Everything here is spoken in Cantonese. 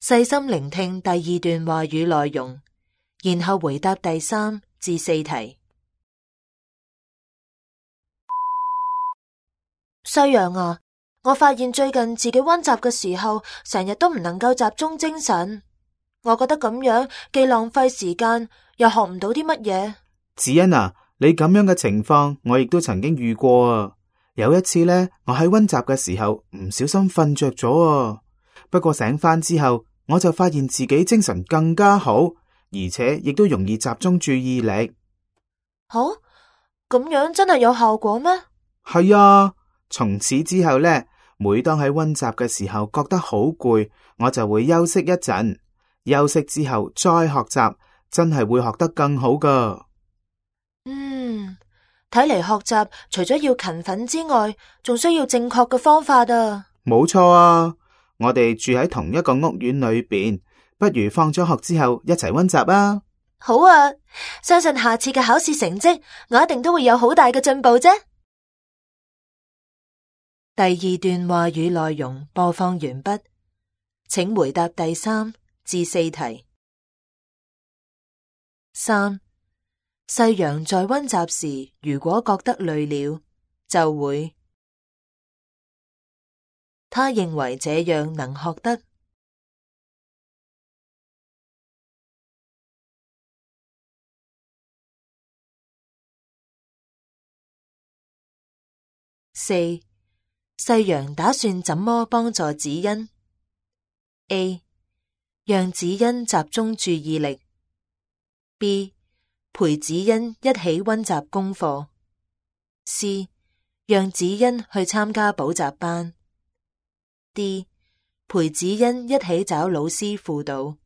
細心聆聽第二段話語內容，然後回答第3至4題。西洋啊，我發現最近自己溫習嘅時候，成日都唔能夠集中精神。我覺得咁樣既浪費時間，又學唔到啲乜嘢。子欣啊，你咁樣嘅情況，我亦都曾經遇過啊。有一次呢，我喺溫習嘅時候唔小心瞓着咗啊。不過醒返之後，我就發現自己精神更加好，而且亦都容易集中注意力。好，咁樣真係有效果咩？係啊。從此之後呢，每當喺溫習嘅時候覺得好攰，我就會休息一陣，休息之後再學習，真係會學得更好㗎。睇嚟學習除咗要勤奮之外，仲需要正確嘅方法啊。冇錯啊，我哋住喺同一個屋苑裏邊，不如放咗學之後一齊溫習啊。好啊，相信下次嘅考試成績，我一定都會有好大嘅進步啫。第二段話語內容播放完畢，請回答第3至4題。3. 細陽在溫習時，如果覺得累了，就會，他認為這樣能學得。4. 細陽打算怎麼幫助子欣 ？A. 讓子欣集中注意力 B. 陪子欣一起溫習功課 C. 讓子欣去參加補習班 D. 陪子欣一起找老師輔導。